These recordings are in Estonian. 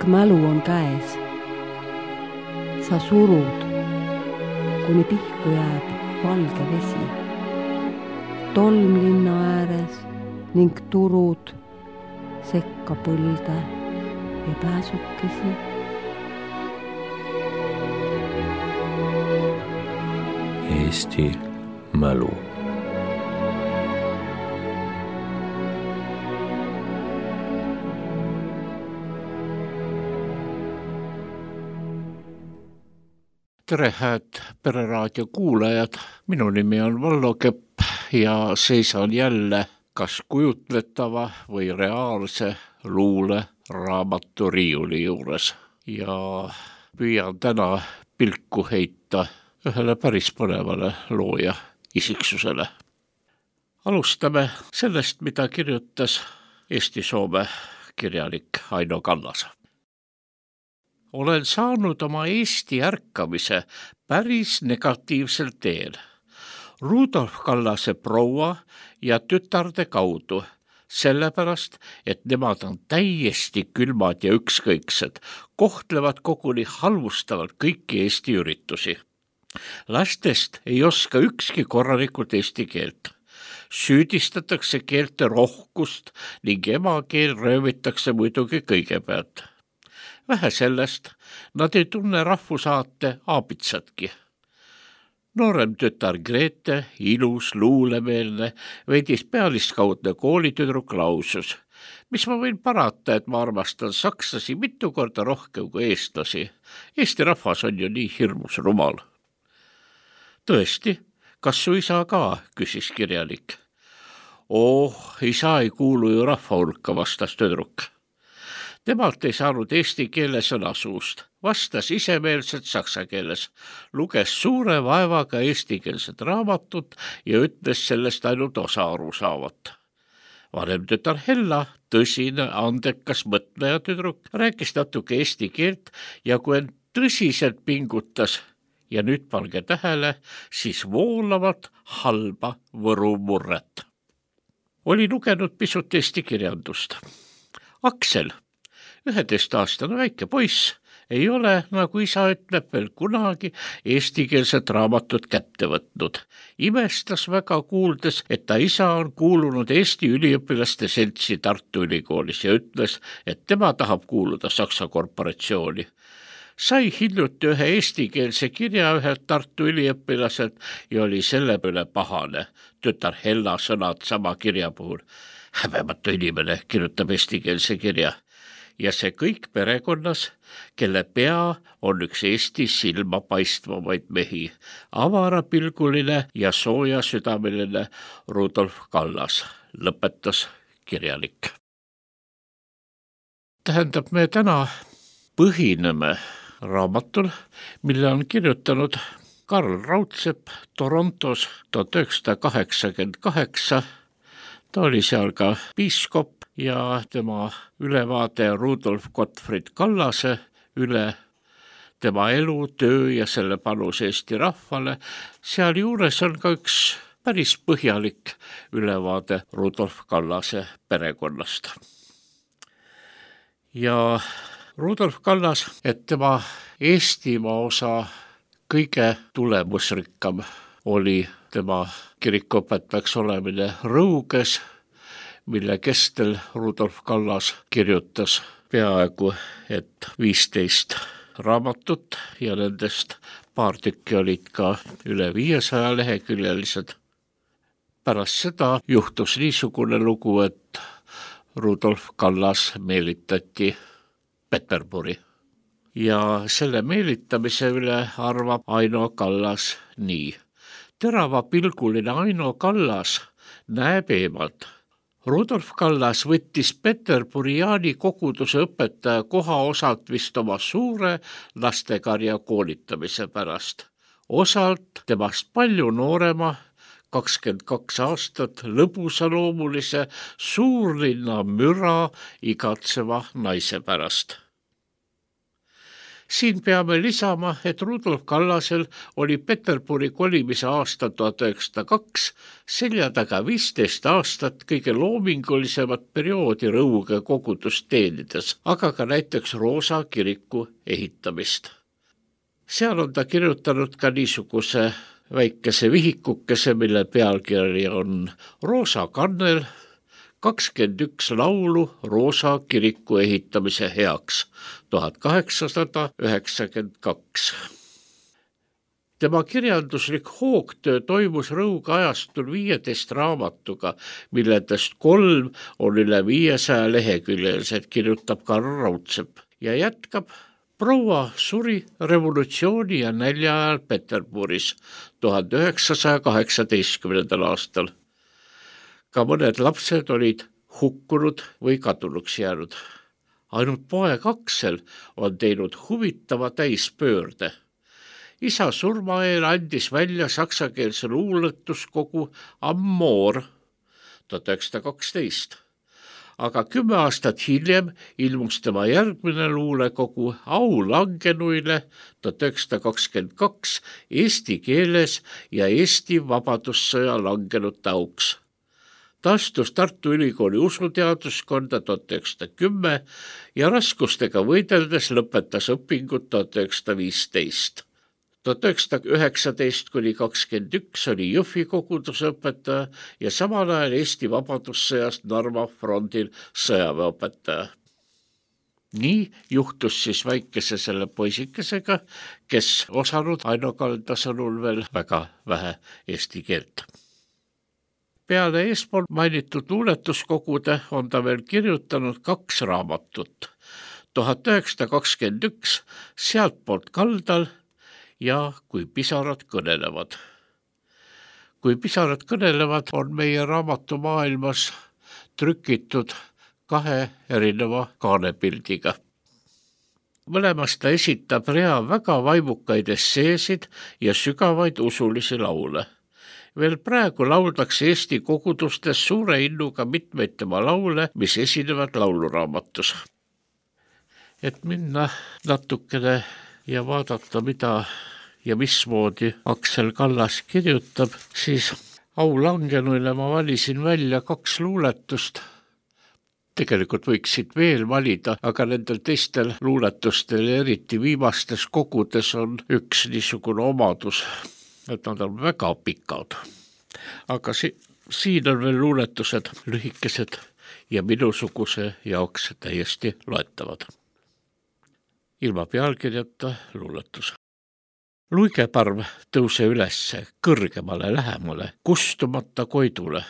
Pikk mälu on käes. Sa surud, kuni pihku jääb valge vesi. Tolm linna ääres ning turud sekka põlde ja pääsukesi. Eesti mälu. Tere, hääd Pereraadio kuulajad. Minu nimi on Vallo Kepp ja seisan jälle kas kujutletava või reaalse luule raamatu riiuli juures. Ja püüan täna pilku heita ühele päris põnevale looja isiksusele. Alustame sellest, mida kirjutas Eesti-Soome kirjanik Aino Kallas. Olen saanud oma Eesti ärkamise päris negatiivsel teel. Rudolf Kallase proua ja tütarde kaudu, sellepärast, et nemad on täiesti külmad ja ükskõiksed, kohtlevad koguni halvustavalt kõiki Eesti üritusi. Lastest ei oska ükski korralikult eesti keelt. Süüdistatakse keelte rohkust ning emakeel röövitakse muidugi kõigepealt. Vähe sellest, nad ei tunne rahvusaate aabitsatki. Noorem tütar Grete, ilus, luulemeelne, veidis pealiskaudne koolitüdruk lausus. Mis ma võin parata, et ma armastan sakslasi mitu korda rohkem kui eestlasi. Eesti rahvas on ju nii hirmus rumal. Tõesti, kas su isa ka, küsis kirjanik. Isa ei kuulu ju rahva hulka, vastas tüdruk. Temalt ei saanud eesti keele sõna suust, vastas isemeelselt saksa keeles, luges suure vaevaga eestikeelset raamatut ja ütles sellest ainult osa arusaavat. Vanem tütar Hella, tõsine, andekas mõtleja tüdruk, rääkis natuke eesti keelt ja kui end tõsiselt pingutas, ja nüüd pange tähele, siis voolavat halba võru murret. Oli lugenud pisut eesti kirjandust. Aksel, 11-aastane väike poiss, ei ole, nagu isa ütleb, veel kunagi eestikeelset raamatut kätte võtnud. Imestas väga kuuldes, et ta isa on kuulunud Eesti üliõpilaste seltsi Tartu Ülikoolis ja ütles, et tema tahab kuuluda Saksa korporatsiooni. Sai hiljuti ühe eestikeelse kirja ühelt Tartu üliõpilaselt ja oli selle peale pahane. Tütar Hella sõnad sama kirja puhul. Häbematu inimene kirjutab eestikeelse kirja. Ja see kõik perekonnas, kelle pea on üks Eesti silma paistvamaid mehi, avarapilguline ja sooja südameline Rudolf Kallas, lõpetas kirjanik. Tähendab, me täna põhineme raamatul, mille on kirjutanud Karl Raudsepp Torontos 1988. Ta oli seal ka piiskop ja tema ülevaade Rudolf Gottfried Kallase üle tema elu, töö ja selle panus Eesti rahvale. Seal juures on ka üks päris põhjalik ülevaade Rudolf Kallase perekonnast. Ja Rudolf Kallas, et tema Eestimaa osa kõige tulemusrikkam oli tema kirikuõpetajaks olemine Rõuges, mille kestel Rudolf Kallas kirjutas peaaegu et 15 raamatut ja nendest paar tükki olid ka üle 500 leheküljelised. Pärast seda juhtus niisugune lugu, et Rudolf Kallas meelitati Peterburi. Ja selle meelitamise üle arvab Aino Kallas nii. Teravapilguline Aino Kallas näeb eemalt. Rudolf Kallas võttis Peterburi Jaani koguduse õpetaja koha osalt vist oma suure lastekarja koolitamise pärast. Osalt temast palju noorema, 22 aastat lõbusaloomulise suurlinna müra igatseva naise pärast. Siin peame lisama, et Rudolf Kallasel oli Peterburi kolimise aasta 1902 selja taga 15 aastat kõige loomingulisemat perioodi Rõuge kogudust teenides, aga ka näiteks Roosa kiriku ehitamist. Seal on ta kirjutanud ka niisuguse väikese vihikukese, mille pealkiri on Roosa kannel, 21 laulu Roosa kiriku ehitamise heaks 1892. Tema kirjanduslik hoogtöö toimus Rõuge ajastul 15 raamatuga, milledest 3 on üle 500 leheküljelised, kirjutab Karl Raudsepp ja jätkab. Proua suri revolutsiooni ja nälja ajal Peterburis 1918. aastal. Ka mõned lapsed olid hukkunud või kadunuks jäänud. Ainult poeg Aksel on teinud huvitava täispöörde. Isa surma eel andis välja saksakeelse luuletuskogu Amor 1912. Aga 10 aastat hiljem ilmus tema järgmine luulekogu Au langenuile 1922 eesti keeles ja Eesti vabadussõja langenute auks. Ta astus Tartu Ülikooli usuteaduskonda 1910 ja raskustega võideldes lõpetas õpingud 1915. 1919–21 oli Jõhvi koguduse õpetaja ja samal ajal Eesti vabadussõjast Narva frondil sõjaväeõpetaja. Nii juhtus siis väikese selle poisikesega, kes osanud Aino Kalda sõnul veel väga vähe eesti keelt. Peale eespool mainitud luuletuskogude on ta veel kirjutanud 2 raamatut. 1921 Sealtpoolt kaldal ja Kui pisarad kõnelevad. Kui pisarad kõnelevad on meie raamatumaailmas trükitud 2 erineva kaanepildiga. Mõlemas ta esitab rea väga vaimukaid esseesid ja sügavaid usulisi laule. Veel praegu lauldakse Eesti kogudustes suure innuga mitmeid tema laule, mis esinevad lauluraamatus. Et minna natukene ja vaadata, mida ja mismoodi Aksel Kallas kirjutab, siis Au langenuile ma valisin välja 2 luuletust. Tegelikult võiksid veel valida, aga nendel teistel luuletustel ja eriti viimastes kogudes on üks niisugune omadus, et nad on väga pikad. Aga siin on veel luuletused lühikesed ja minusuguse jaoks täiesti loetavad. Ilma pealkirjata luuletus. Luigeparv tõuse ülesse, kõrgemale lähemale, kustumata koidule.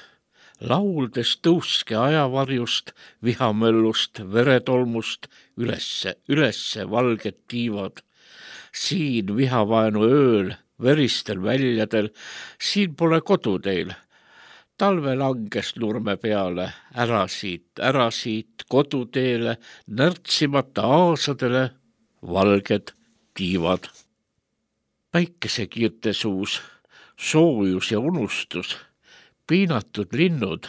Lauldes tõuske ajavarjust, vihamöllust, veretolmust, ülesse valged tiivad. Siin vihavaenu ööl, veristel väljadel, siin pole kodu teil. Talve langes nurme peale, ära siit koduteele, närtsimata aasadele, valged tiivad. Päikesekiirte suus, soojus ja unustus, piinatud linnud,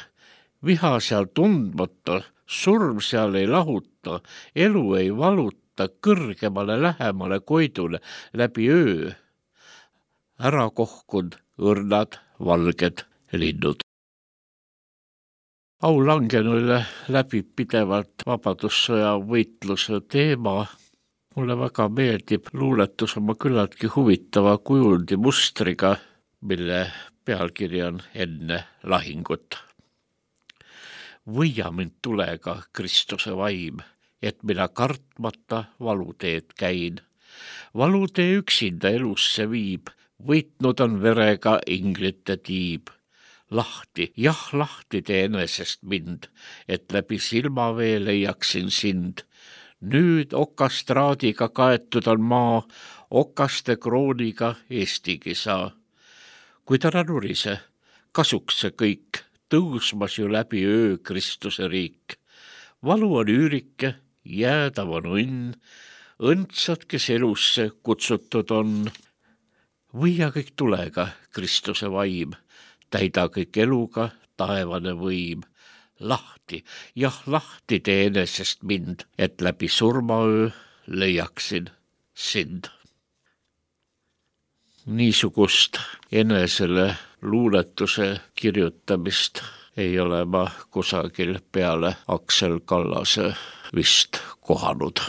viha seal tundmata, surm seal ei lahuta, elu ei valuta, kõrgemale lähemale koidule läbi öö. Ära kohkund õrnad valged linnud. Au langenuile läbib pidevalt vabadussõja võitluse teema. Mulle väga meeldib luuletus oma küllaltki huvitava kujundi mustriga, mille pealkiri on Enne lahingut. Võia mind tulega, Kristuse vaim, et mina kartmata valuteed käin. Valutee üksinda elusse viib, võitnud on verega inglite tiib. Lahti, jah lahti tee enesest mind, et läbi silmavee leiaksin sind. Nüüd okastraadiga kaetud on maa, okaste krooniga Eestigi saa. Kuid ära nurise, kasuks see kõik, tõusmas ju läbi öö Kristuse riik. Valu on üürike, jäädav on õnn, õndsad, kes elusse kutsutud on. Võia kõik tulega, Kristuse vaim, täida kõik eluga taevane võim. Lahti, jah lahti tee enesest mind, et läbi surmaöö leiaksin sind. Niisugust enesele luuletuse kirjutamist ei ole ma kusagil peale Aksel Kallase vist kohanud.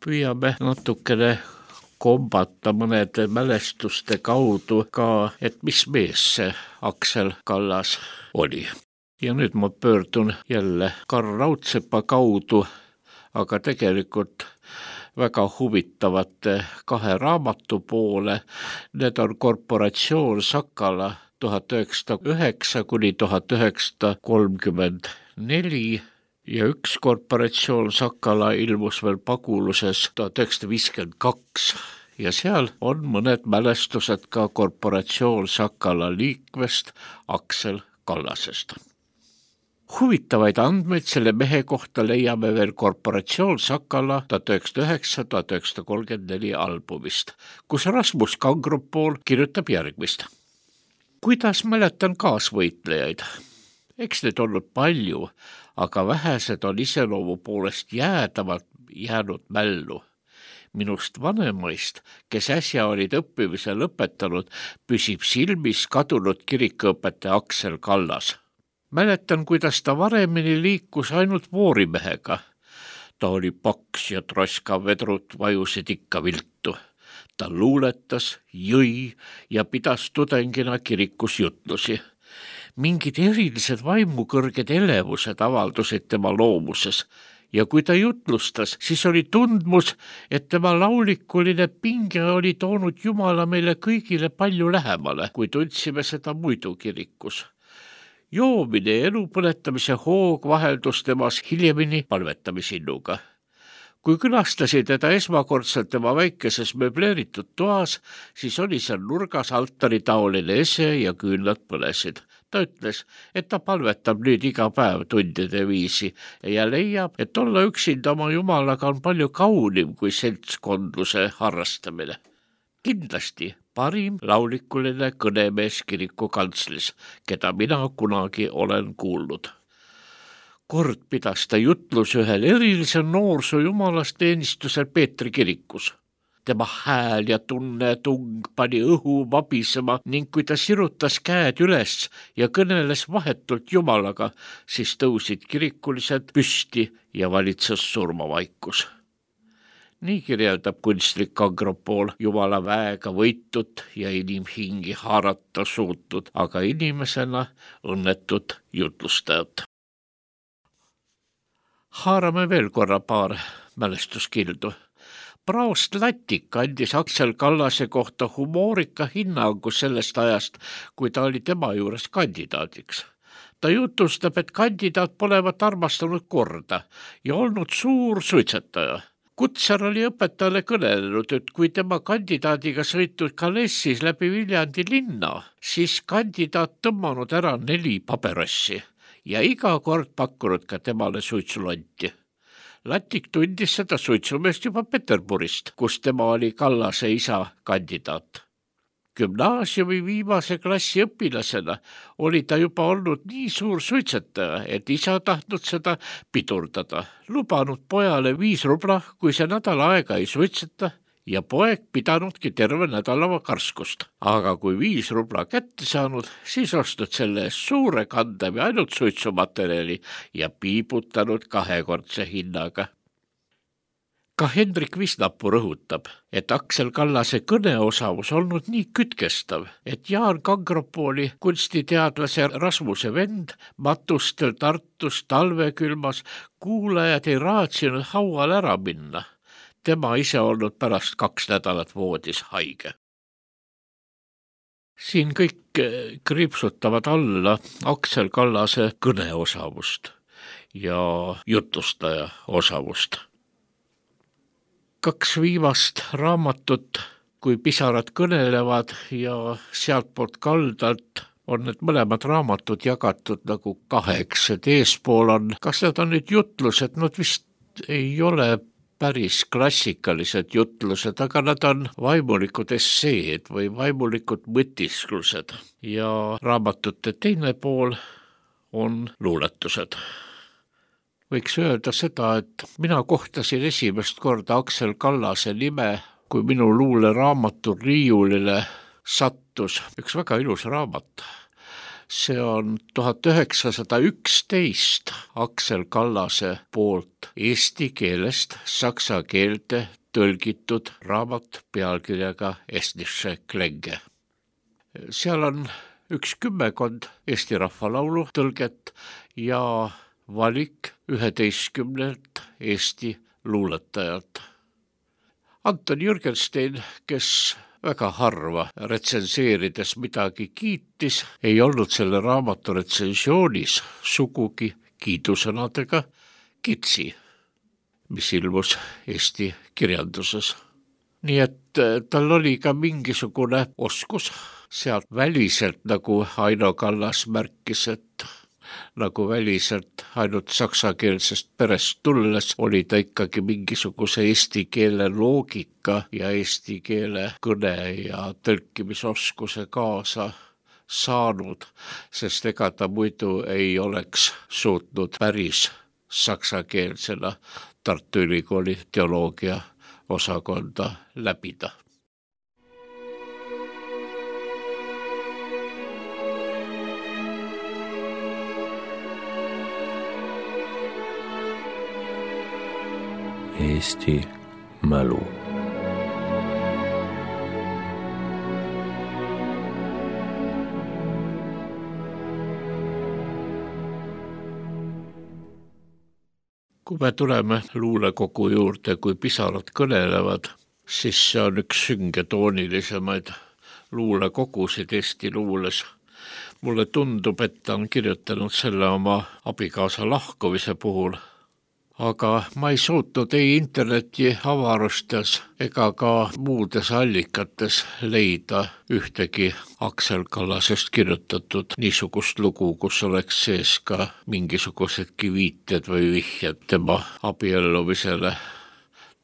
Püüame natukene kombata mõnede mälestuste kaudu ka, et mis mees see Aksel Kallas oli. Ja nüüd ma pöördun jälle Karl Raudsepa kaudu, aga tegelikult väga huvitavate 2 raamatu poole. Need on Korporatsioon Sakala 1909–1934 ja üks Korporatsioon Sakala ilmus veel Paguluses 1952 ja seal on mõned mälestused ka Korporatsioon Sakala liikmest Aksel Kallasest. Huvitavaid andmeid selle mehe kohta leiame veel Korporatsioon Sakala 1909–1934 albumist, kus Rasmus Kangropool kirjutab järgmist. Kuidas mäletan kaasvõitlejaid? Eks neid olnud palju, aga vähesed on iseloomu poolest jäädavalt jäänud mällu. Minust vanemaist, kes äsja olid õppimise lõpetanud, püsib silmis kadunud kirikuõpetaja Aksel Kallas. Mäletan, kuidas ta varemini liikus ainult voorimehega. Ta oli paks ja troska vedrud vajusid ikka viltu. Ta luuletas, jõi ja pidas tudengina kirikus jutlusi. Mingid erilised vaimukõrged elevused avaldusid tema loomuses ja kui ta jutlustas, siis oli tundmus, et tema laulikuline pinge oli toonud Jumala meile kõigile palju lähemale, kui tundsime seda muidu kirikus. Joomine ja elu põletamise hoog vaheldus temas hiljemini palvetamisinnuga. Kui külastasid teda esmakordselt tema väikeses möbleeritud toas, siis oli seal nurgas altaritaoline ese ja küünlad põlesid. Ta ütles, et ta palvetab nüüd iga päev tundide viisi ja leiab, et olla üksinda oma Jumalaga on palju kaunim kui seltskondluse harrastamine. Kindlasti parim laulikuline kõnemees kiriku kantslis, keda mina kunagi olen kuulnud. Kord pidas ta jutlus ühel erilisel noorsoo jumalasteenistusel Peetri kirikus. Tema hääl ja tunnetung pani õhu vabisema ning kui ta sirutas käed üles ja kõneles vahetult Jumalaga, siis tõusid kirikulised püsti ja valitses surmavaikus. Nii kirjeldab kunstnik Kangropool Jumala väega võitut ja inimhingi haarata suutud, aga inimesena õnnetut jutlustajat. Haarame veel korra paar mälestuskildu. Praost Latik andis Aksel Kallase kohta humoorika hinnangu sellest ajast, kui ta oli tema juures kandidaadiks. Ta jutustab, et kandidaat polevat armastanud korda ja olnud suur suitsetaja. Kutsar oli õpetajale kõnelenud, et kui tema kandidaadiga sõitud Kalessis läbi Viljandi linna, siis kandidaat tõmmanud ära 4 paberassi ja iga kord pakkunud ka temale suitsulonti. Latik tundis seda suitsumeest juba Peterburist, kus tema oli Kallase isa kandidaat. Gümnaasiumi viimase klassi õpilasena oli ta juba olnud nii suur suitsetaja, et isa tahtnud seda pidurdada. Lubanud pojale 5 rubla, kui see nädal aega ei suitseta ja poeg pidanudki terve nädalava karskust. Aga kui 5 rubla kätte saanud, siis ostnud selle suure kandemi ainult suitsumaterjali ja piibutanud 2-kordse hinnaga. Ka Hendrik Visnapuu rõhutab, et Aksel Kallase kõneosavus olnud nii kütkestav, et Jaan Kangropooli kunstiteadlase Rasmuse vend matustel Tartus talvekülmas kuulajad ei raatsinud haual ära minna. Tema ise olnud pärast 2 nädalat voodis haige. Siin kõik kriipsutavad alla Aksel Kallase kõneosavust ja jutlustaja osavust. 2 viimast raamatut, kui pisarad kõnelevad ja sealtpoolt kaldalt on need mõlemad raamatud jagatud nagu kaheks, et eespool on, kas need on nüüd jutlused, nad vist ei ole päris klassikalised jutlused, aga nad on vaimulikud esseed või vaimulikud mõtisklused ja raamatute teine pool on luuletused. Võiks öelda seda, et mina kohtasin esimest korda Aksel Kallase nime, kui minu luuleraamatu riiulile sattus üks väga ilus raamat. See on 1911 Aksel Kallase poolt eesti keelest saksa keelde tõlgitud raamat pealkirjaga Estnische Klänge. Seal on 10 Eesti rahvalaulu tõlget ja valik 11 Eesti luuletajalt. Anton Jürgenstein, kes väga harva retsenseerides midagi kiitis, ei olnud selle raamatu retsiensioonis sugugi kiidusõnadega kitsi, mis ilmus Eesti kirjanduses. Nii et tal oli ka mingisugune oskus sealt väliselt, nagu Aino Kallas märkis, et nagu väliselt ainult saksakeelsest perest tulles oli ta ikkagi mingisuguse eesti keele loogika ja eesti keele kõne ja tõlkimisoskuse kaasa saanud, sest ega ta muidu ei oleks suutnud päris saksakeelsena Tartu Ülikooli teoloogia osakonda läbida. Eesti mälu. Kui me tuleme luulekogu juurde, kui pisarad kõnelevad, siis see on üks süngetoonilisemaid luulekogusid Eesti luules. Mulle tundub, et ta on kirjutanud selle oma abikaasa lahkumise puhul, aga ma ei suutnud ei interneti avarustes ega ka muudes allikates leida ühtegi Aksel Kallasest kirjutatud niisugust lugu, kus oleks sees ka mingisugusedki viited või vihjed tema abiellumisele,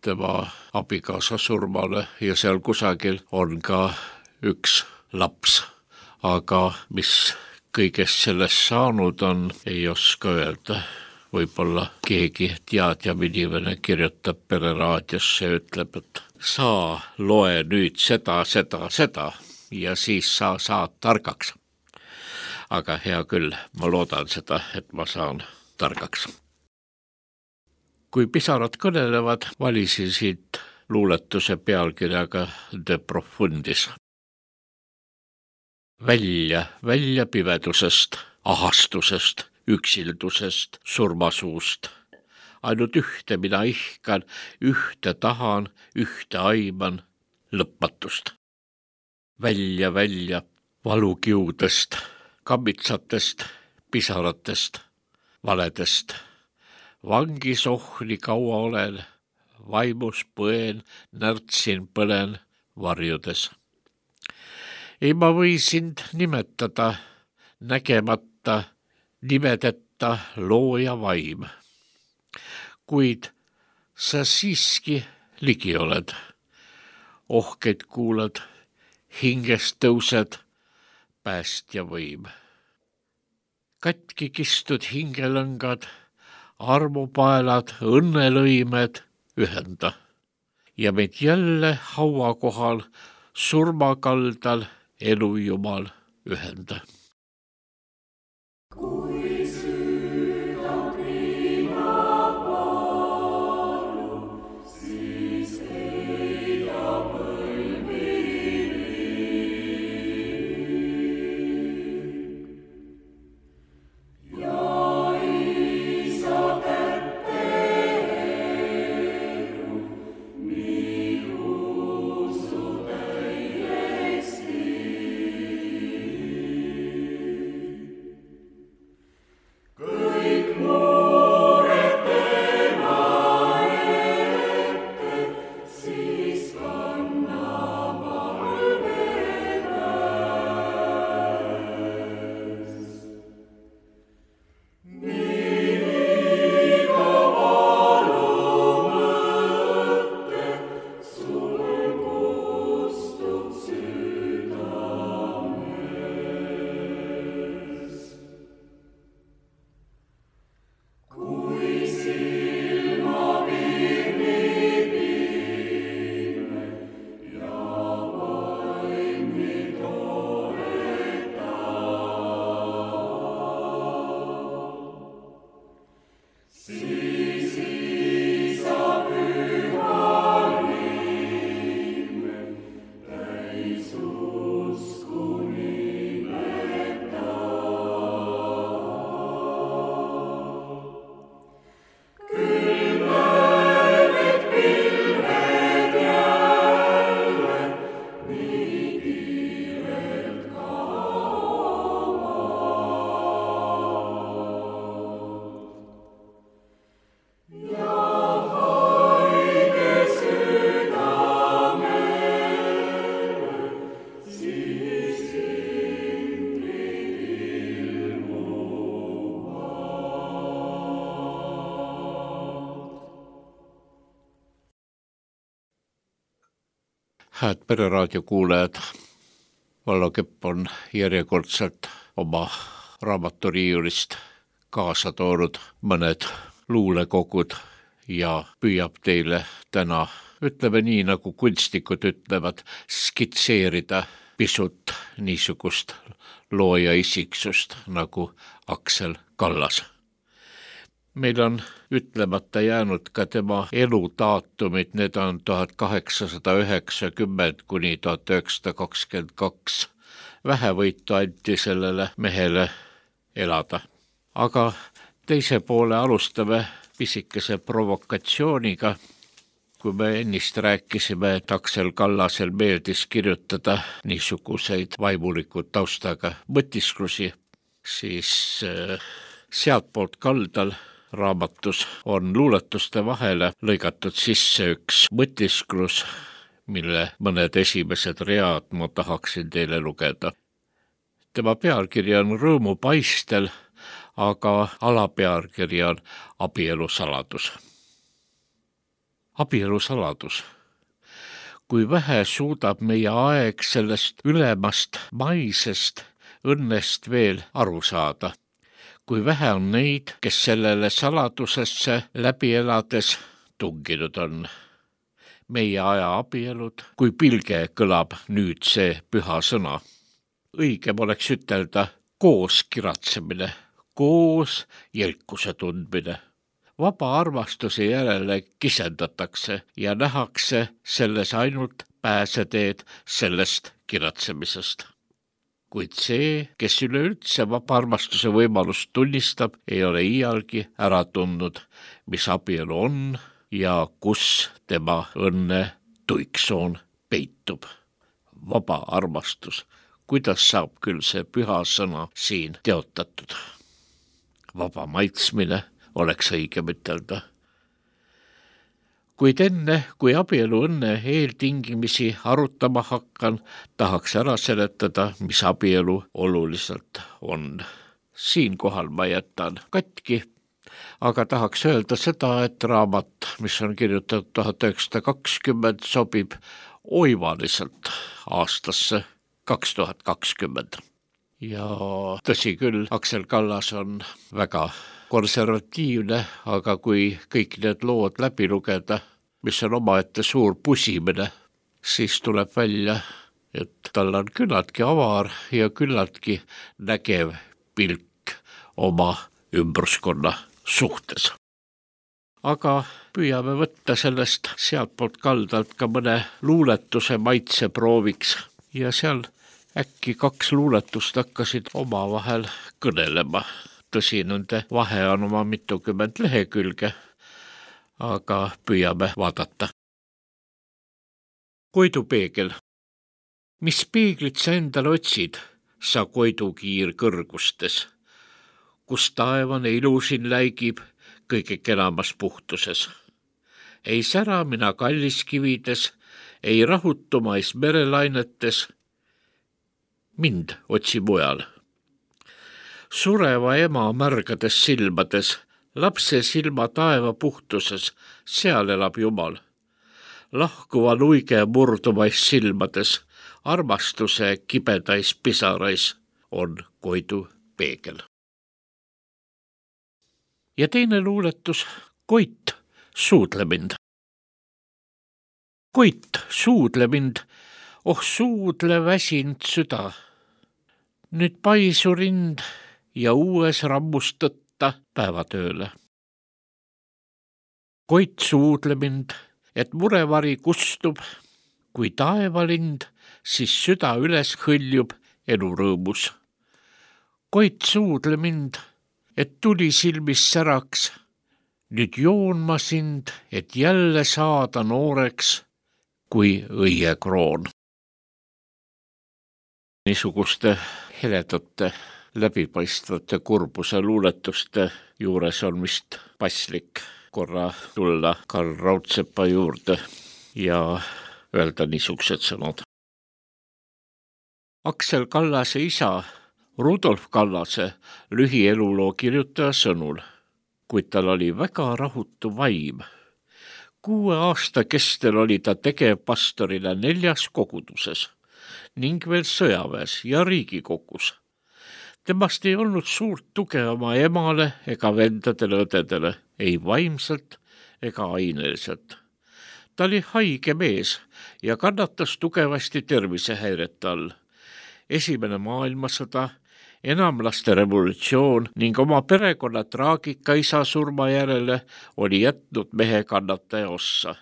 tema abikaasa surmale ja seal kusagil on ka üks laps, aga mis kõigest sellest saanud on, ei oska öelda. Võib-olla keegi teadjam inimene kirjutab Pereraadiosse ja ütleb, et sa loe nüüd seda ja siis sa saad targaks. Aga hea küll, ma loodan seda, et ma saan targaks. Kui pisarad kõnelevad, valisin siit luuletuse pealkirjaga De Profundis. Välja pimedusest, ahastusest, üksildusest, surmasuust. Ainult ühte mina ihkan, ühte tahan, ühte aiman, lõpmatust. Välja valukiudest, kammitsatest, pisaratest, valedest. Vangis ohni kaua olen, vaimus põen, närtsin põlen varjudes. Ei ma või sind nimetada, nägemata, nimedeta looja vaim. Kuid sa siiski ligi oled, ohkeid kuulad, hingest tõused, päästja võim. Katki kistud hingelõngad, armupaelad, õnnelõimed ühenda ja meid jälle haua kohal, surmakaldal elujumal ühenda. Hääd Pereraadio kuulajad, Vallo Kepp on järjekordselt oma raamaturiiulist kaasa toonud mõned luulekogud ja püüab teile täna, ütleme nii, nagu kunstnikud ütlevad, skitseerida pisut niisugust looja isiksust nagu Aksel Kallas. Meil on ütlemata jäänud ka tema eludaatumid, need on 1890 kuni 1922. Vähevõitu anti sellele mehele elada. Aga teise poole alustame pisikese provokatsiooniga. Kui me ennist rääkisime, et Aksel Kallasel meeldis kirjutada niisuguseid vaimulikud taustaga mõtisklusi, siis sealtpoolt kaldal raamatus on luuletuste vahele lõigatud sisse üks mõtisklus, mille mõned esimesed read ma tahaksin teile lugeda. Tema pealkiri on Rõõmupaistel, aga alapealkiri on Abielusaladus. Abielusaladus. Kui vähe suudab meie aeg sellest ülemast maisest õnnest veel aru saada. Kui vähe on neid, kes sellele saladusesse läbi elades tunginud on. Meie aja abielud, kui pilge kõlab nüüd see püha sõna. Õigem oleks ütelda koos kiratsemine, koos jälkuse tundmine. Vaba armastuse järele kisendatakse ja nähakse selles ainult pääseteed sellest kiratsemisest. Kuid see, kes üleüldse vaba armastuse võimalust tunnistab, ei ole iialgi ära tundnud, mis abielu on ja kus tema õnne tuiksoon peitub. Vaba armastus, kuidas saab küll see püha sõna siin teotatud? Vaba maitsmine oleks õigem ütelda. Kuid enne, kui abielu õnne eeltingimisi arutama hakkan, tahaks ära seletada, mis abielu oluliselt on. Siinkohal ma jätan katki, aga tahaks öelda seda, et raamat, mis on kirjutatud 1920, sobib oivaliselt aastasse 2020. Ja tõsi küll, Aksel Kallas on väga konservatiivne, aga kui kõik need lood läbi lugeda, mis on omaette suur pusimine, siis tuleb välja, et tal on küllaltki avar ja küllaltki nägev pilk oma ümbruskonna suhtes. Aga püüame võtta sellest sealtpoolt kaldalt ka mõne luuletuse maitse prooviks ja seal äkki 2 luuletust hakkasid omavahel kõnelema. Tõsi, nende vahe on oma mitukümmend lehekülge, aga püüame vaadata. Koidupeegel. Mis peeglit sa endal otsid, sa koidukiir kõrgustes, kus taevane ilusin läigib kõige kenamas puhtuses. Ei sära mina kalliskivides, ei rahutumais merelainetes, mind otsi mujal. Sureva ema märgades silmades, lapse silma taeva puhtuses, seal elab Jumal. Lahkuva luige murdumais silmades, armastuse kibedais pisarais on koidu peegel. Ja teine luuletus, Koit, suudle mind. Koit, suudle mind, oh suudle väsinud süda. Nüüd paisu rind ja uues rammust tõtta päevatööle. Koit, suudle mind, et murevari kustub, kui taevalind, siis süda üles hõljub elurõõmus. Koit, suudle mind, et tuli silmis säraks, nüüd joon ma sind, et jälle saada nooreks kui õiekroon. Niisuguste heledate läbipaistvate kurbuse luuletuste juures on vist paslik korra tulla Karl Raudsepa juurde ja öelda niisugused sõnad. Aksel Kallase isa Rudolf Kallase lühieluloo kirjutaja sõnul, kuid tal oli väga rahutu vaim. 6 aasta kestel oli ta tegevpastorina 4 koguduses ning veel sõjaväes ja Riigikogus. Temast ei olnud suurt tuge oma emale ega vendadele õdedele, ei vaimselt ega aineliselt. Ta oli haige mees ja kannatas tugevasti tervisehäirete all. Esimene maailmasõda, enamlaste revolutsioon ning oma perekonna traagika isa surma järele oli jätnud mehe kannataja ossa.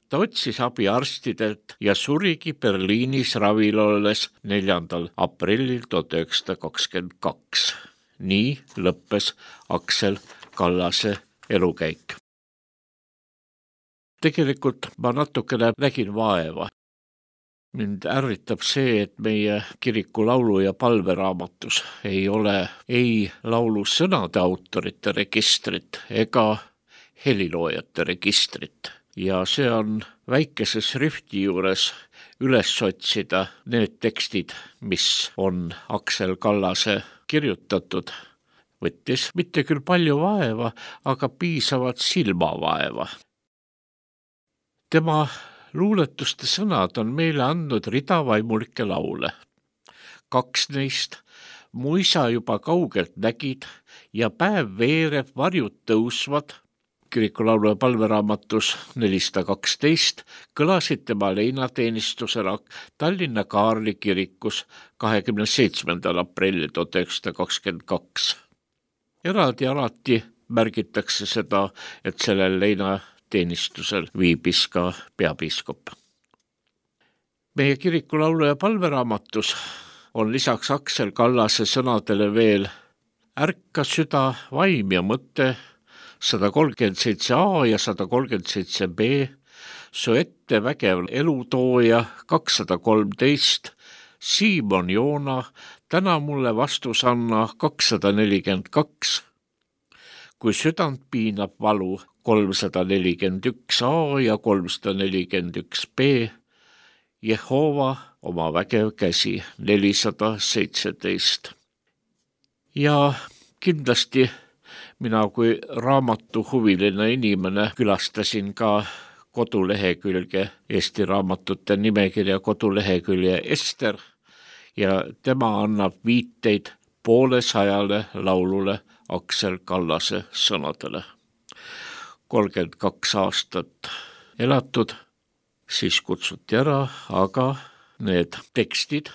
Ta otsis abi arstidelt ja surigi Berliinis ravil olles 4. aprillil 1922. Nii lõppes Aksel Kallase elukäik. Tegelikult ma natukene nägin vaeva. Mind ärritab see, et meie kiriku laulu- ja palveraamatus ei ole ei laulu sõnade autorite registrit ega heliloojate registrit. Ja see on väikese šrifti juures üles otsida need tekstid, mis on Aksel Kallase kirjutatud. Võttis mitte küll palju vaeva, aga piisavat silmavaeva. Tema luuletuste sõnad on meile andnud rida vaimulikke laule. 2 neist Mu isa juba kaugelt nägid ja päev veereb, varjud tõusvad, kiriku laulu- ja palveraamatus 412 kõlasid tema leinateenistusena Tallinna Kaarli kirikus 27. aprillil 1922. Eraldi alati märgitakse seda, et sellel leinateenistusel viibis ka peapiiskop. Meie kiriku laulu- ja palveraamatus on lisaks Aksel Kallase sõnadele veel Ärka süda, vaim ja mõte 137a ja 137b, Su ette vägev elutooja 213, Siimon Joona, täna mulle vastus anna 242, Kui südant piinab valu 341a ja 341b, Jehova oma vägev käsi 417. Ja kindlasti mina kui raamatuhuviline inimene külastasin ka kodulehekülge, Eesti raamatute nimekirja kodulehekülje Ester ja tema annab viiteid 200 laulule Aksel Kallase sõnadele. 32 aastat elatud, siis kutsuti ära, aga need tekstid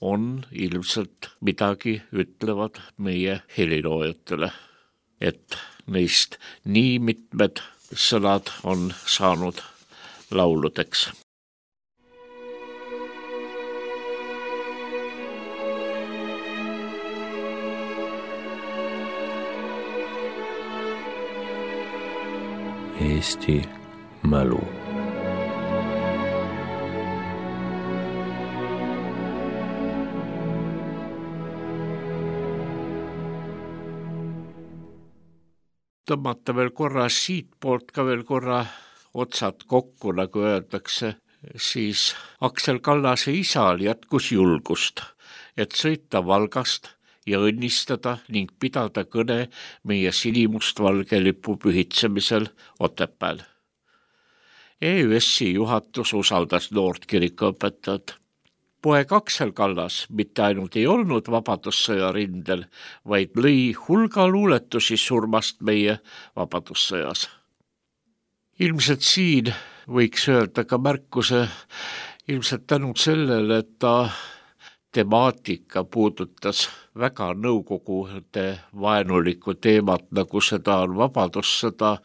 on ilmselt midagi ütlevad meie heliloojatele, et neist nii mitmed sõnad on saanud lauludeks. Eesti mälu. Tõmmata veel korra siitpoolt ka veel korra otsad kokku, nagu öeldakse, siis Aksel Kallase isal jätkus julgust, et sõita Valgast ja õnnistada ning pidada kõne meie sinimustvalge lipu pühitsemisel Otepääl. EÜS-i juhatus usaldas noort kirikuõpetajat. Poeg Aksel Kallas mitte ainult ei olnud vabadussõja rindel, vaid lõi hulga luuletusi surmast meie vabadussõjas. Ilmselt siin võiks öelda ka märkuse, ilmselt tänu sellele, et ta temaatika puudutas väga nõukogude vaenulikku teemat, nagu seda on vabadussõda,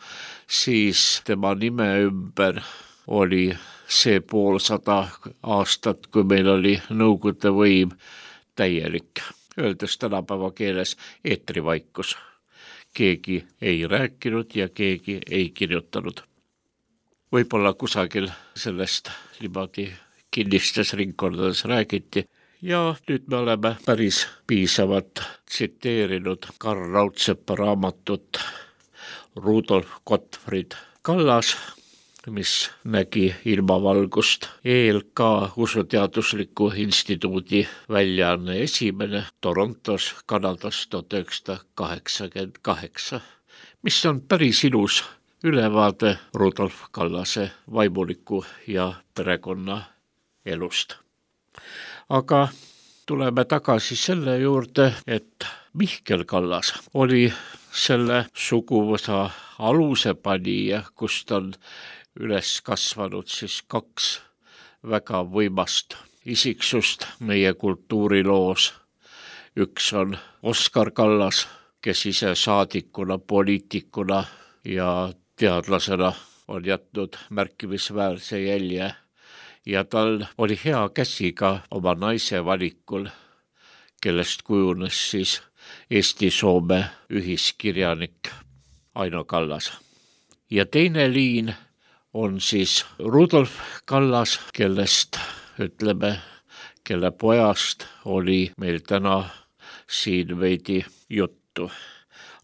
siis tema nime ümber oli see 500 aastat, kui meil oli nõukogude võim täielik, öeldes tänapäeva keeles eetrivaikus. Keegi ei rääkinud ja keegi ei kirjutanud. Võib-olla kusagil sellest niimoodi kinnistes ringkondades räägiti ja nüüd me oleme päris piisavat tsiteerinud Karl Raudsepa raamatut Rudolf Gottfried Kallas, mis nägi ilmavalgust ELK usuteadusliku instituudi väljaanne esimene Torontos, Kanadas 1988, mis on päris ilus ülevaade Rudolf Kallase vaimuliku ja perekonna elust. Aga tuleme tagasi selle juurde, et Mihkel Kallas oli selle suguvõsa alusepanija, kust on üles kasvanud siis 2 väga võimast isiksust meie kultuuriloos. Üks on Oskar Kallas, kes ise saadikuna, poliitikuna ja teadlasena on jätnud märkimisväärse jälje ja tal oli hea käsi ka oma naise valikul, kellest kujunes siis Eesti-Soome ühiskirjanik Aino Kallas. Ja teine liin on siis Rudolf Kallas, kellest ütleme, kelle pojast oli meil täna siin veidi juttu.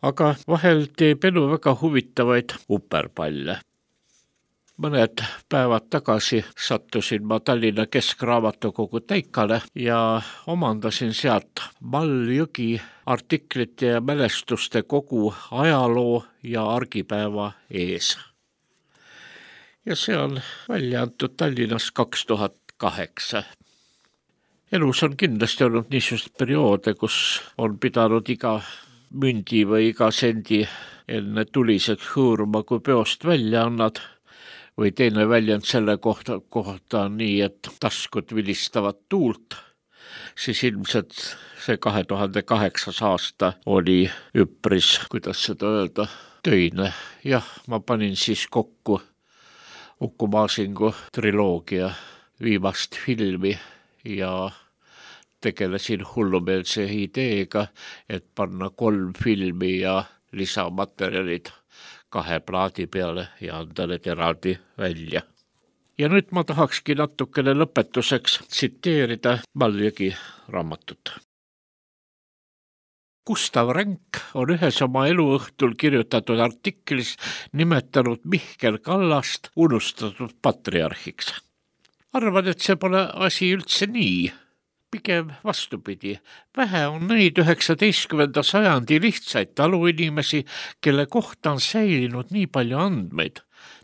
Aga vahel teeb elu väga huvitavaid uperpalle. Mõned päevad tagasi sattusin ma Tallinna Keskraamatukogu täikale ja omandasin sealt Mall Jõgi artiklite ja mälestuste kogu ajaloo ja argipäeva ees. Ja see on välja antud Tallinnas 2008. Elus on kindlasti olnud niisugust perioode, kus on pidanud iga mündi või iga sendi enne tuliseks hõõruma, kui peost välja annad, või teine väljend selle kohta on nii, et taskud vilistavad tuult, siis ilmselt see 2008. aasta oli üpris, kuidas seda öelda, töine. Jah, ma panin siis kokku Uku Masingu triloogia viimast filmi ja tegelesin hullumeelse ideega, et panna 3 filmi ja lisamaterjalid 2 plaadi peale ja anda need eraldi välja. Ja nüüd ma tahakski natukene lõpetuseks tsiteerida Mall Jõgi raamatut. Gustav Ränk on ühes oma eluõhtul kirjutatud artiklis nimetanud Mihkel Kallast unustatud patriarhiks. Arvan, et see pole asi üldse nii. Pigem vastupidi, vähe on neid 19. sajandi lihtsaid taluinimesi, kelle kohta on säilinud nii palju andmeid.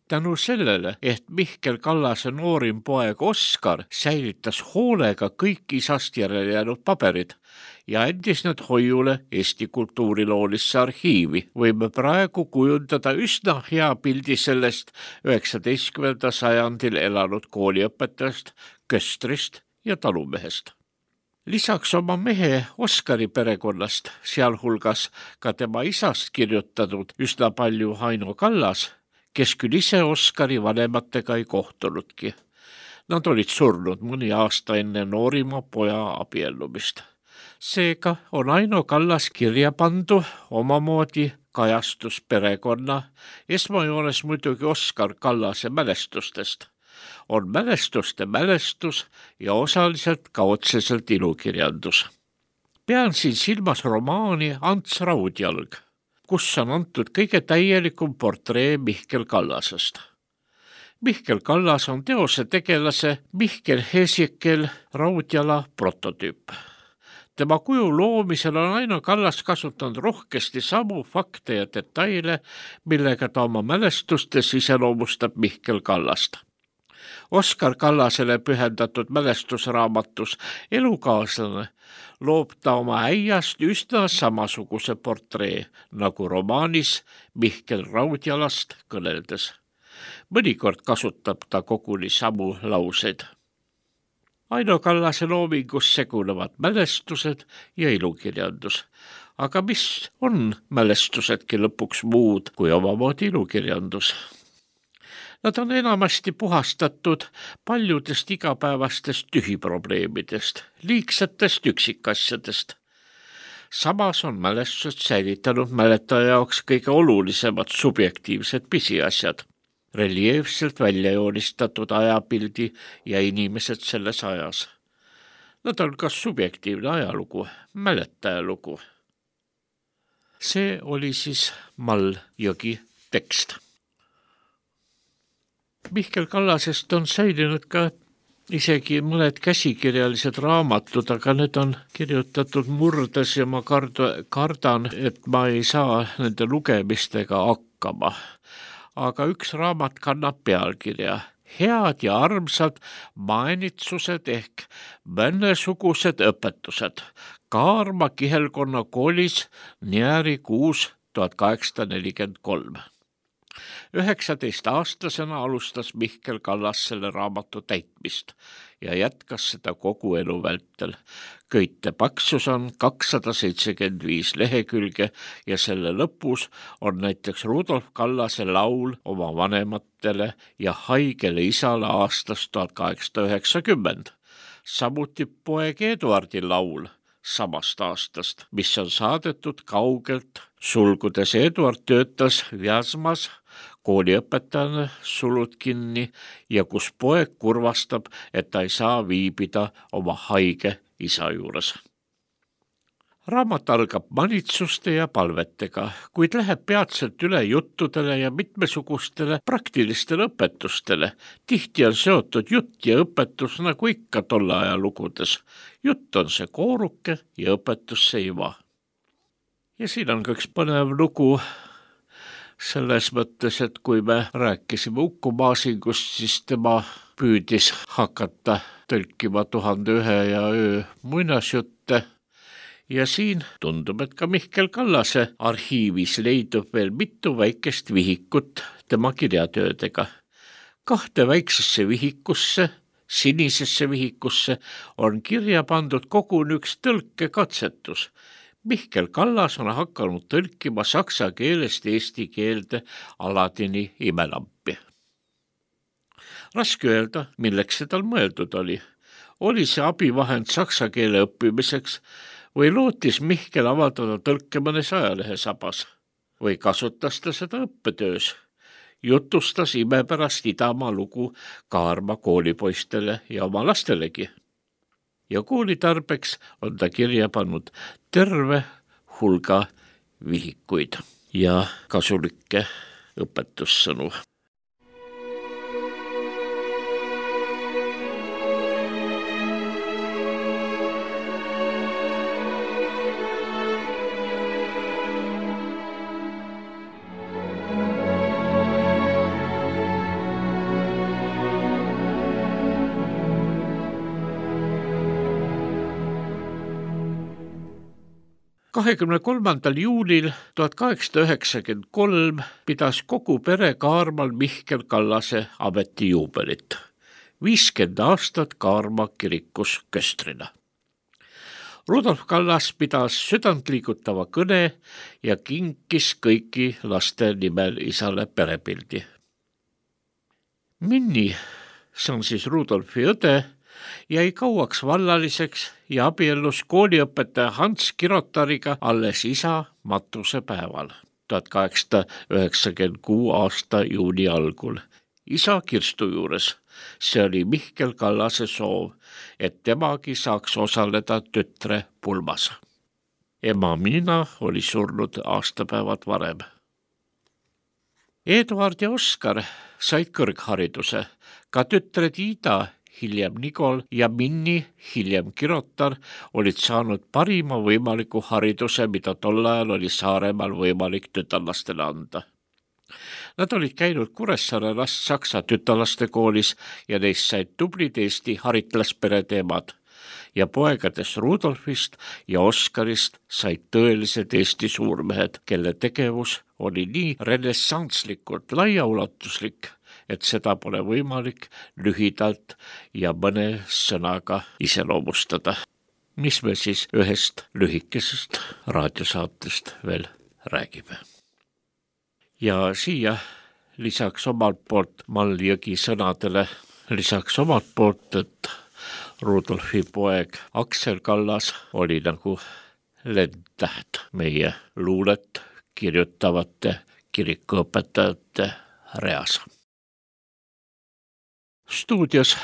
Tänu sellele, et Mihkel Kallase noorim poeg Oskar säilitas hoolega kõik isast järele jäänud paberid ja andis need hoiule Eesti kultuuriloolisse arhiivi, võime praegu kujundada üsna hea pildi sellest 19. sajandil elanud kooliõpetajast, köstrist ja talumehest. Lisaks oma mehe Oskari perekonnast, sealhulgas ka tema isast kirjutanud üsna palju Aino Kallas, kes küll ise Oskari vanematega ei kohtunudki. Nad olid surnud mõni aasta enne noorima poja abiellumist. Seega on Aino Kallas kirja pandu omamoodi kajastus perekonna, esmajoones muidugi Oskar Kallase mälestustest. On mälestuste mälestus ja osaliselt ka otseselt ilukirjandus. Pean siin silmas romaani Ants Raudjalg, kus on antud kõige täielikum portree Mihkel Kallasest. Mihkel Kallas on teose tegelase Mihkel Hesekel Raudjala prototüüp. Tema kuju loomisel on Aino Kallas kasutanud rohkesti samu fakte ja detaile, millega ta oma mälestustes iseloomustab Mihkel Kallast. Oskar Kallasele pühendatud mälestusraamatus Elukaaslane loob ta oma äiast üsna samasuguse portree, nagu romaanis Mihkel Raudjalast kõneldes. Mõnikord kasutab ta koguni samu lauseid. Aino Kallase loomingus segunevad mälestused ja ilukirjandus. Aga mis on mälestusedki lõpuks muud kui omamoodi ilukirjandus? Nad on enamasti puhastatud paljudest igapäevastest tühiprobleemidest, liigsetest üksikasjadest. Samas on mälestused säilitanud mäletaja jaoks kõige olulisemad subjektiivsed pisiasjad, reljeefselt välja joonistatud ajapildi ja inimesed selles ajas. Nad on ka subjektiivne ajalugu, mäletaja lugu. See oli siis Mall Jõgi tekst. Mihkel Kallasest on säilinud ka isegi mõned käsikirjalised raamatud, aga need on kirjutatud murdes ja ma kardan, et ma ei saa nende lugemistega hakkama. aga üks raamat kannab pealkirja Head ja armsad maenitsused ehk mõnesugused õpetused. Kaarma kihelkonna koolis Njääri 6 1843. 19-aastasena alustas Mihkel Kallas selle raamatu täitmist ja jätkas seda kogu elu vältel. Köite paksus on 275 lehekülge ja selle lõpus on näiteks Rudolf Kallase laul oma vanematele ja haigele isale aastast 1890. Samuti poeg Eduardi laul samast aastast, mis on saadetud kaugelt, sulgudes Eduard töötas Vjazmas kooliõpetajana, sulud kinni, ja kus poeg kurvastab, et ta ei saa viibida oma haige isa juures. Raamat algab manitsuste ja palvetega, kuid läheb peatselt üle juttudele ja mitmesugustele praktilistele õpetustele. Tihti on seotud jutt ja õpetus nagu ikka tolle aja lugudes. Jutt on see kooruke ja õpetus see iva. Ja siin on ka üks põnev lugu selles mõttes, et kui me rääkisime Uku Masingust, siis tema püüdis hakata tõlkima 1001 ja öö muinasjutte. Ja siin tundub, et ka Mihkel Kallase arhiivis leidub veel mitu väikest vihikut tema kirjatöödega. 2 väiksesse vihikusse, sinisesse vihikusse on kirja pandud koguni üks tõlkekatsetus. Mihkel Kallas on hakanud tõlkima saksa keelest eesti keelde Aladini imelampi. Raske öelda, milleks see tal mõeldud oli. Oli see abivahend saksa keele õppimiseks või lootis Mihkel avaldada tõlke mõnes ajalehes sabas või kasutas ta seda õppetöös. Jutustas imepärast Idamaa lugu Kaarma koolipoistele ja oma lastelegi. Ja koolitarbeks on ta kirja pannud terve hulga vihikuid ja kasulikke õpetussõnu. juulil 1893 pidas kogu pere Kaarmal Mihkel Kallase ametijuubelit. 50 aastat Kaarma kirikus köstrina. Rudolf Kallas pidas südantliigutava kõne ja kinkis kõiki laste nimel isale perepildi. Minni, see on siis Rudolfi õde, jäi kauaks vallaliseks ja abiellus kooliõpetaja Hans Kirotariga alles isa matusepäeval 1896 aasta juuni algul. Isa Kirstu juures. See oli Mihkel Kallase soov, et temagi saaks osaleda tütre pulmas. Ema Miina oli surnud aastapäevad varem. Eduard ja Oskar said kõrghariduse, ka tütred Ida, hiljem Nigol ja Minni, hiljem Kirotar, olid saanud parima võimaliku hariduse, mida tol ajal oli Saaremaal võimalik tütarlastele anda. Nad olid käinud Kuressaare Saksa tütarlaste koolis ja neist said tublid Eesti haritlasperede emad. Ja poegadest Rudolfist ja Oskarist said tõelised Eesti suurmehed, kelle tegevus oli nii renessantslikult laiaulatuslik, et seda pole võimalik lühidalt ja mõne sõnaga iseloomustada. Mis me siis ühest lühikesest raadiosaatest veel räägime. Ja siia lisaks omalt poolt Mall Jõgi sõnadele, lisaks omalt poolt, et Rudolfi poeg Aksel Kallas oli nagu lendtäht meie luulet kirjutavate kirikuõpetajate reas. Stuudios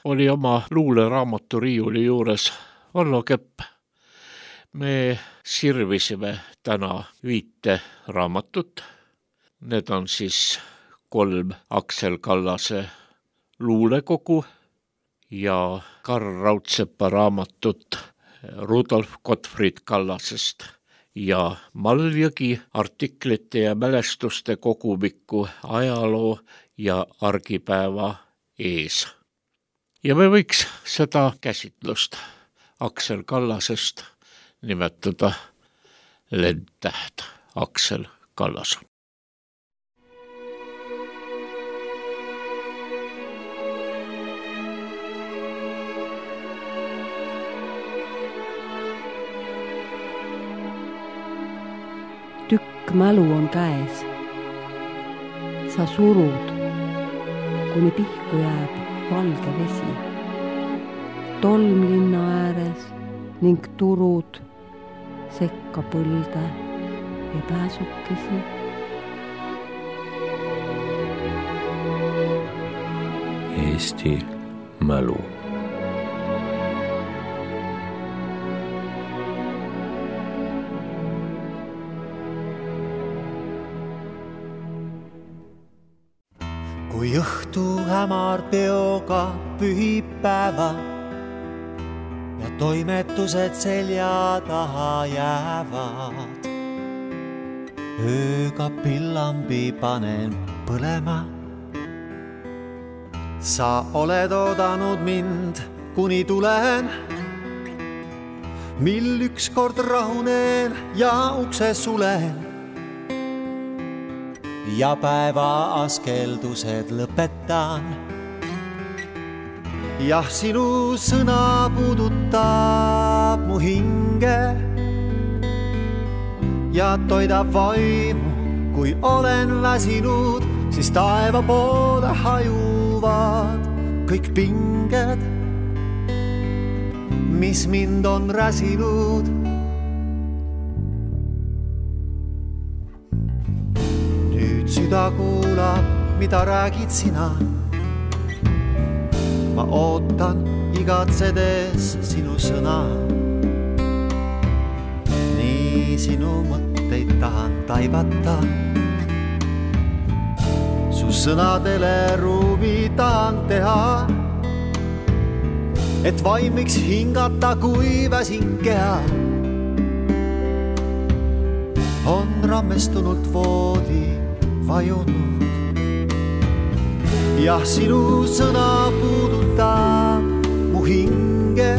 oli oma luuleraamatu riiuli juures Vallo Kepp. Me sirvisime täna 5 raamatut. Need on siis 3 Aksel Kallase luulekogu ja Karl Raudsepa raamatut Rudolf Gottfried Kallasest ja Maljõgi artiklite ja mälestuste kogumiku ajaloo ja argipäeva ees. Ja me võiks seda käsitlust Aksel Kallasest nimetada lendtäht Aksel Kallas. Tükk mälu on käes. Sa surud, kuni pihku jääb valge vesi. Tolm linna ääres ning turud sekka põlde ja pääsukesi. Eesti mälu. Kui õhtu hämar peoga pühib päeva ja toimetused selja taha jäävad, ööga pillambi panen põlema. Sa oled oodanud mind, kuni tulen, mil ükskord rahunen ja ukse sulen. Ja päeva askeldused lõpetan. Jah, sinu sõna puudutab mu hinge ja toidab vaimu, kui olen väsinud, siis taeva poole hajuvad kõik pinged, mis mind on räsinud. Süda kuulab, mida räägid sina. Ma ootan igatsedes sinu sõna. Nii sinu mõtteid tahan taibata. Su sõnadele ruumi tahan teha, et vaim võiks hingata, kui väsin keha. On rammestunult voodi vajunud. Jah, sinu sõna puudutab mu hinge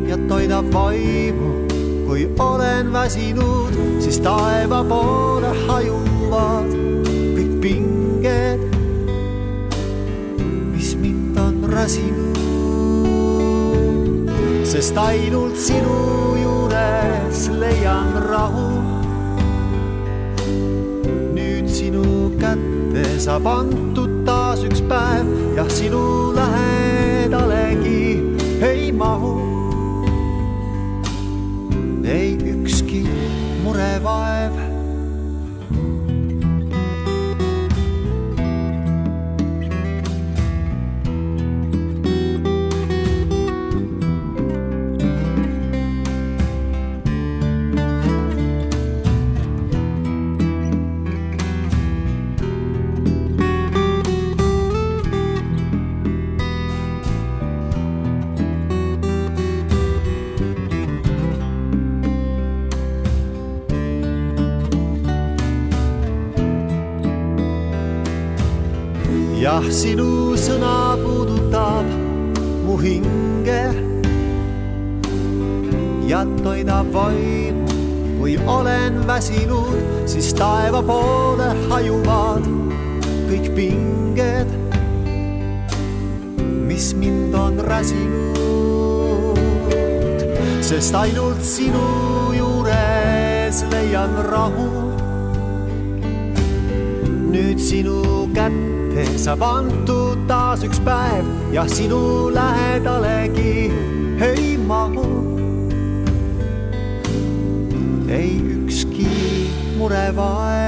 ja toidab vaimu, kui olen väsinud, siis taeva poole hajuvad kõik pinged, mis mind on räsinud. Sest ainult sinu juures leian rahu. Sinu kätte saab antud taas üks päev, jah, sinu lähedalegi ei mahu. Ei ükski murevaev. Jah, sinu sõna puudutab mu hinge ja toidab vaimu, kui olen väsinud, siis taeva poole hajuvad kõik pinged, mis mind on räsinud. Sest ainult sinu juures leian rahu. Nüüd sinu kätte saab antud taas üks päev, jah, sinu lähedalegi ei mahu. Ei ükski murevaev.